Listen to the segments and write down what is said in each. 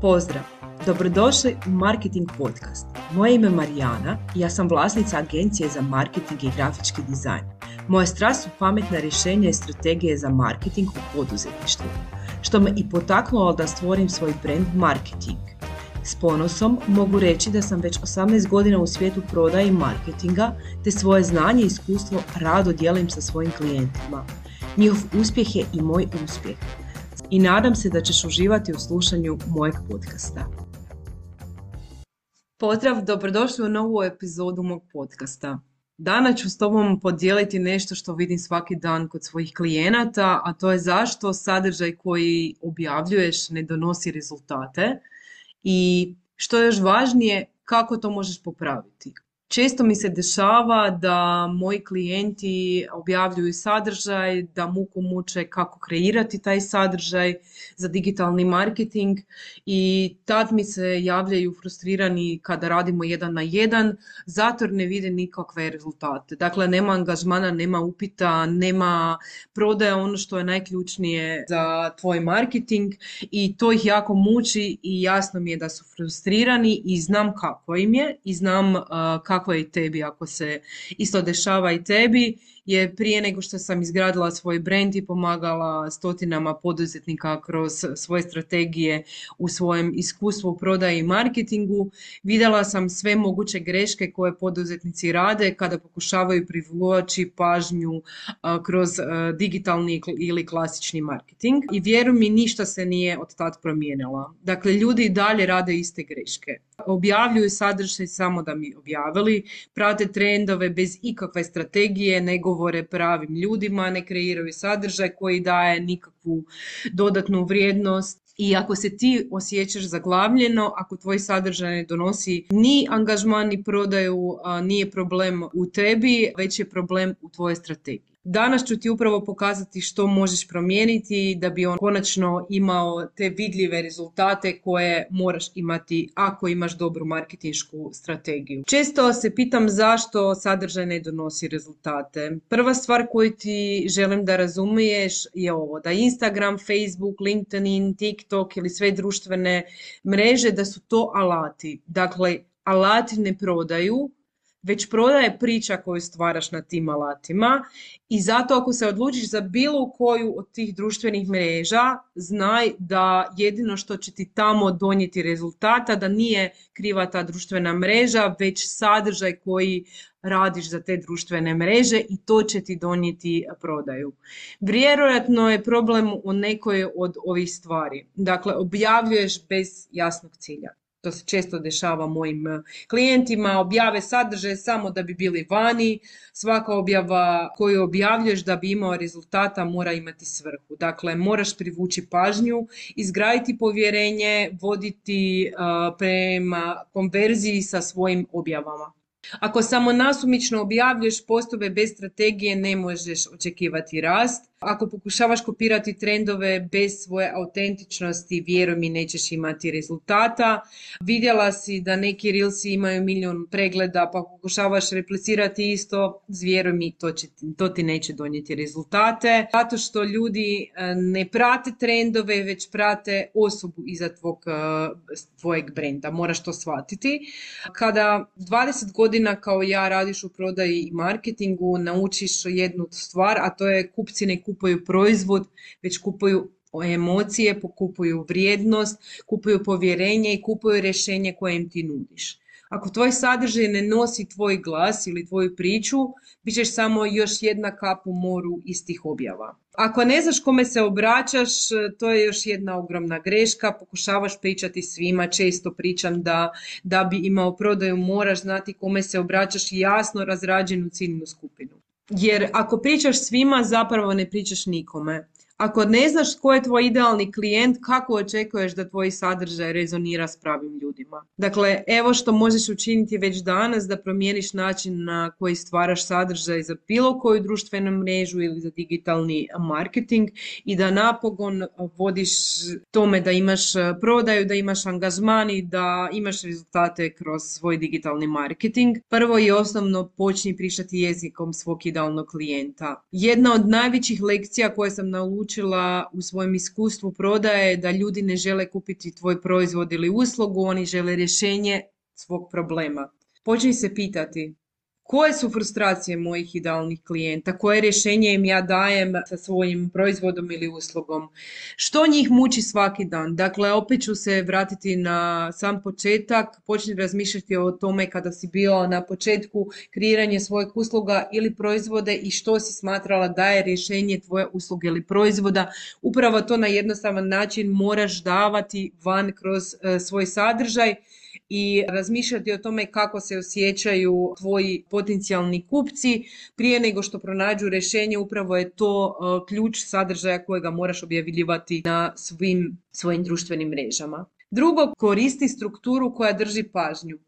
Pozdrav! Dobrodošli u Marketing Podcast. Moje ime je Marijana i ja sam vlasnica agencije za marketing i grafički dizajn. Moja strast su pametna rješenja i strategije za marketing u poduzetništvu, što me i potaknulo da stvorim svoj brand Marketing. S ponosom mogu reći da sam već 18 godina u svijetu prodaje i marketinga, te svoje znanje i iskustvo rado dijelim sa svojim klijentima. Njihov uspjeh je i moj uspjeh. I nadam se da ćeš uživati u slušanju mojeg podcasta. Pozdrav, dobrodošli u novu epizodu mog podcasta. Danas ću s tobom podijeliti nešto što vidim svaki dan kod svojih klijenata, a to je zašto sadržaj koji objavljuješ ne donosi rezultate i što je još važnije, kako to možeš popraviti. Često mi se dešava da moji klijenti objavljuju sadržaj, da muku muče kako kreirati taj sadržaj za digitalni marketing i tad mi se javljaju frustrirani kada radimo 1 na 1, zato jer ne vide nikakve rezultate. Dakle, nema angažmana, nema upita, nema prodaja, ono što je najključnije za tvoj marketing i to ih jako muči i jasno mi je da su frustrirani i znam kako im je i znam kako je i tebi ako se isto dešava i tebi, jer prije nego što sam izgradila svoj brand i pomagala stotinama poduzetnika kroz svoje strategije u svojem iskustvu u prodaji i marketingu, vidjela sam sve moguće greške koje poduzetnici rade kada pokušavaju privući pažnju kroz digitalni ili klasični marketing. I vjeruj mi, ništa se nije od tad promijenilo. Dakle, ljudi i dalje rade iste greške. Objavljuju sadržaj samo da bi objavili, prate trendove bez ikakve strategije, ne govore pravim ljudima, ne kreiraju sadržaj koji daje nikakvu dodatnu vrijednost. I ako se ti osjećaš zaglavljeno, ako tvoj sadržaj ne donosi ni angažman ni prodaju, nije problem u tebi, već je problem u tvojoj strategiji. Danas ću ti upravo pokazati što možeš promijeniti da bi on konačno imao te vidljive rezultate koje moraš imati ako imaš dobru marketinšku strategiju. Često se pitam zašto sadržaj ne donosi rezultate. Prva stvar koju ti želim da razumiješ je ovo, da Instagram, Facebook, LinkedIn, TikTok ili sve društvene mreže da su to alati. Dakle, alati ne prodaju, već prodaje priča koju stvaraš na tim alatima i zato ako se odlučiš za bilo koju od tih društvenih mreža, znaj da jedino što će ti tamo donijeti rezultata, da nije kriva ta društvena mreža, već sadržaj koji radiš za te društvene mreže i to će ti donijeti prodaju. Vjerojatno je problem u nekoj od ovih stvari. Dakle, objavljuješ bez jasnog cilja. To se često dešava mojim klijentima, objave sadržaje samo da bi bili vani, svaka objava koju objavljuješ da bi imao rezultata mora imati svrhu. Dakle, moraš privući pažnju, izgraditi povjerenje, voditi prema konverziji sa svojim objavama. Ako samo nasumično objavljuješ postove bez strategije, ne možeš očekivati rast. Ako pokušavaš kopirati trendove bez svoje autentičnosti, vjeruj mi, nećeš imati rezultata. Vidjela si da neki reelsi imaju 1.000.000 pregleda, pa pokušavaš replicirati isto, vjeruj mi, to ti neće donijeti rezultate. Zato što ljudi ne prate trendove, već prate osobu iza tvojeg brenda. Moraš to shvatiti. Kada 20 godina kao ja radiš u prodaji i marketingu, naučiš jednu stvar, a to je kupci ne kupuju proizvod, već kupuju emocije, kupuju vrijednost, kupuju povjerenje i kupuju rješenje koje im ti nudiš. Ako tvoj sadržaj ne nosi tvoj glas ili tvoju priču, bit ćeš samo još jedna kap u moru istih objava. Ako ne znaš kome se obraćaš, to je još jedna ogromna greška. Pokušavaš pričati svima, često pričam da bi imao prodaju moraš znati kome se obraćaš i jasno razrađenu ciljnu skupinu. Jer ako pričaš svima, zapravo ne pričaš nikome. Ako ne znaš tko je tvoj idealni klijent, kako očekuješ da tvoj sadržaj rezonira s pravim ljudima? Dakle, evo što možeš učiniti već danas da promijeniš način na koji stvaraš sadržaj za bilo koju društvenu mrežu ili za digitalni marketing i da napokon vodiš tome da imaš prodaju, da imaš angažman i da imaš rezultate kroz svoj digitalni marketing. Prvo i osnovno, počni pričati jezikom svog idealnog klijenta. Jedna od najvećih lekcija koje sam naučila naučila u svojem iskustvu prodaje da ljudi ne žele kupiti tvoj proizvod ili uslugu, oni žele rješenje svog problema. Počni se pitati koje su frustracije mojih idealnih klijenta, koje rješenje im ja dajem sa svojim proizvodom ili uslugom, što njih muči svaki dan. Dakle, opet ću se vratiti na sam početak, počni razmišljati o tome kada si bila na početku kreiranja svojeg usluga ili proizvode i što si smatrala da je rješenje tvoje usluge ili proizvoda. Upravo to na jednostavan način moraš davati van kroz svoj sadržaj i razmišljati o tome kako se osjećaju tvoji potencijalni kupci prije nego što pronađu rješenje. Upravo je to ključ sadržaja kojega moraš objavljivati na svim svojim društvenim mrežama. Drugo, koristi strukturu koja drži pažnju.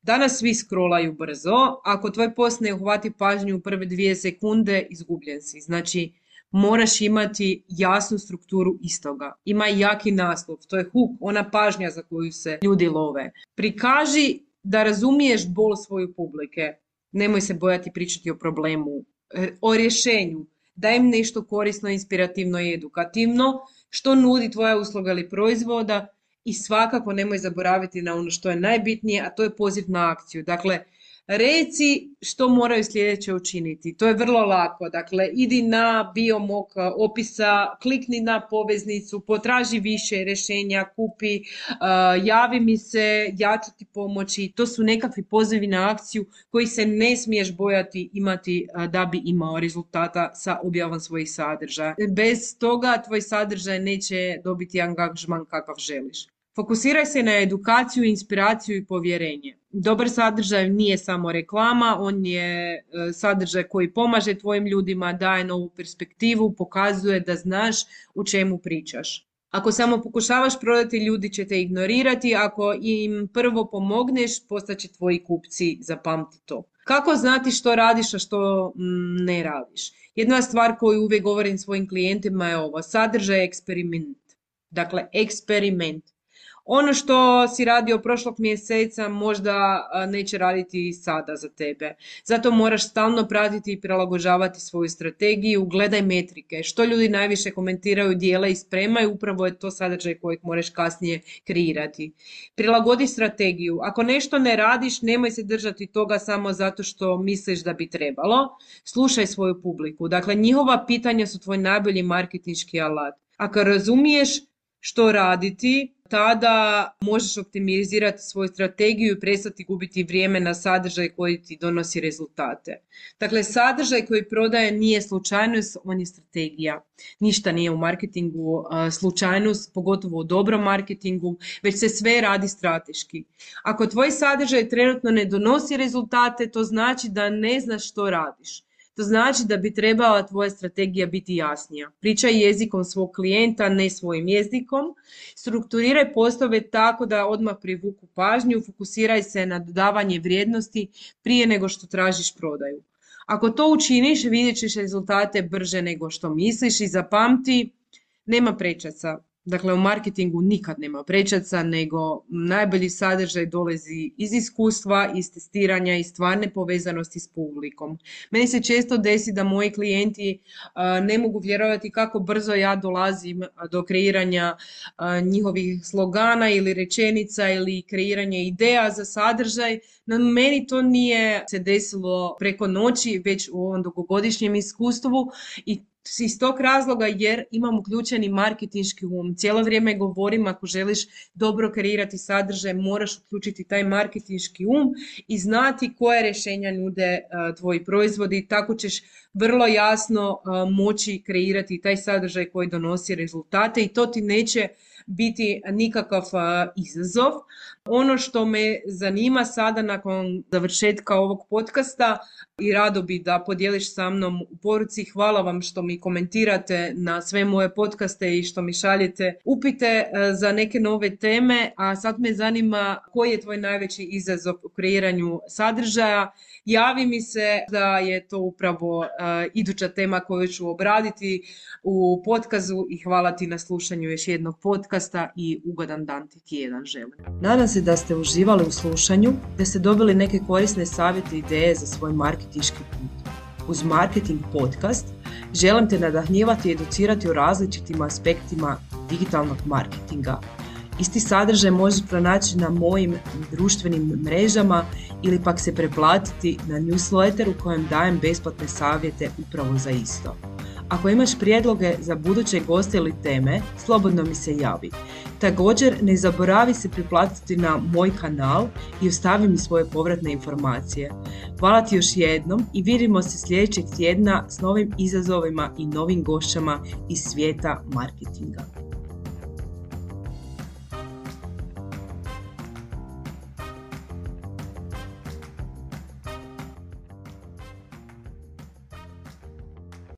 Danas svi scrollaju brzo, ako tvoj post ne uhvati pažnju u prve 2 sekunde, izgubljen si. Znači, moraš imati jasnu strukturu istoga. Ima jaki naslov, to je hook, ona pažnja za koju se ljudi love. Prikaži da razumiješ bol svoje publike. Nemoj se bojati pričati o problemu, o rješenju. Daj im nešto korisno, inspirativno i edukativno, što nudi tvoja usluga ili proizvoda i svakako nemoj zaboraviti na ono što je najbitnije, a to je poziv na akciju. Dakle, reci što moraju sljedeće učiniti. To je vrlo lako. Dakle, idi na bio mog opisa, klikni na poveznicu, potraži više rješenja, kupi, javi mi se, ja ću ti pomoći. To su nekakvi pozivi na akciju koji se ne smiješ bojati imati da bi imao rezultata sa objavom svojih sadržaja. Bez toga tvoj sadržaj neće dobiti angažman kakav želiš. Fokusiraj se na edukaciju, inspiraciju i povjerenje. Dobar sadržaj nije samo reklama, on je sadržaj koji pomaže tvojim ljudima, daje novu perspektivu, pokazuje da znaš o čemu pričaš. Ako samo pokušavaš prodati, ljudi će te ignorirati, ako im prvo pomogneš, postaće tvoji kupci, zapamti to. Kako znati što radiš, a što ne radiš? Jedna stvar koju uvijek govorim svojim klijentima je ovo, sadržaj je eksperiment. Dakle, eksperiment. Ono što si radio prošlog mjeseca možda neće raditi sada za tebe. Zato moraš stalno pratiti i prilagođavati svoju strategiju. Gledaj metrike. Što ljudi najviše komentiraju, dijele i spremaju, upravo je to sadržaj kojeg moraš kasnije kreirati. Prilagodi strategiju. Ako nešto ne radiš, nemoj se držati toga samo zato što misliš da bi trebalo. Slušaj svoju publiku. Dakle, njihova pitanja su tvoj najbolji marketinški alat. Ako razumiješ što raditi, tada možeš optimizirati svoju strategiju i prestati gubiti vrijeme na sadržaj koji ti donosi rezultate. Dakle, sadržaj koji prodaje nije slučajnost, on je strategija. Ništa nije u marketingu slučajnost, pogotovo u dobrom marketingu, već se sve radi strateški. Ako tvoj sadržaj trenutno ne donosi rezultate, to znači da ne znaš što radiš. To znači da bi trebala tvoja strategija biti jasnija. Pričaj jezikom svog klijenta, ne svojim jezikom. Strukturiraj postove tako da odmah privuku pažnju, fokusiraj se na dodavanje vrijednosti prije nego što tražiš prodaju. Ako to učiniš, vidjet ćeš rezultate brže nego što misliš i zapamti, nema prečaca. Dakle, u marketingu nikad nema prečaca, nego najbolji sadržaj dolazi iz iskustva, iz testiranja i stvarne povezanosti s publikom. Meni se često desi da moji klijenti ne mogu vjerovati kako brzo ja dolazim do kreiranja njihovih slogana ili rečenica ili kreiranja ideja za sadržaj. No, meni to nije se desilo preko noći, već u ovom dugogodišnjem iskustvu i iz tog razloga jer imam uključeni marketinški um. Cijelo vrijeme govorim ako želiš dobro kreirati sadržaj, moraš uključiti taj marketinški um i znati koje rješenja nude tvoji proizvodi. Tako ćeš vrlo jasno moći kreirati taj sadržaj koji donosi rezultate i to ti neće biti nikakav izazov. Ono što me zanima sada nakon završetka ovog podcasta i rado bi da podijeliš sa mnom u poruci. Hvala vam što mi komentirate na sve moje podcaste i što mi šaljete upite za neke nove teme, a sad me zanima koji je tvoj najveći izazov u kreiranju sadržaja. Javi mi se da je to upravo iduća tema koju ću obraditi u podcastu i hvala ti na slušanju još jednog podcasta i ugodan dan ti tjedan želim. Nadam se da ste uživali u slušanju, da ste dobili neke korisne savjete i ideje za svoj marketinški put. uz Marketing podcast želim te nadahnjivati i educirati o različitim aspektima digitalnog marketinga. Isti sadržaj možeš pronaći na mojim društvenim mrežama ili pak se preplatiti na newsletter u kojem dajem besplatne savjete upravo za isto. Ako imaš prijedloge za buduće goste ili teme, slobodno mi se javi. Također, ne zaboravi se priplatiti na moj kanal i ostavi mi svoje povratne informacije. Hvala ti još jednom i vidimo se sljedećeg tjedna s novim izazovima i novim gošćama iz svijeta marketinga.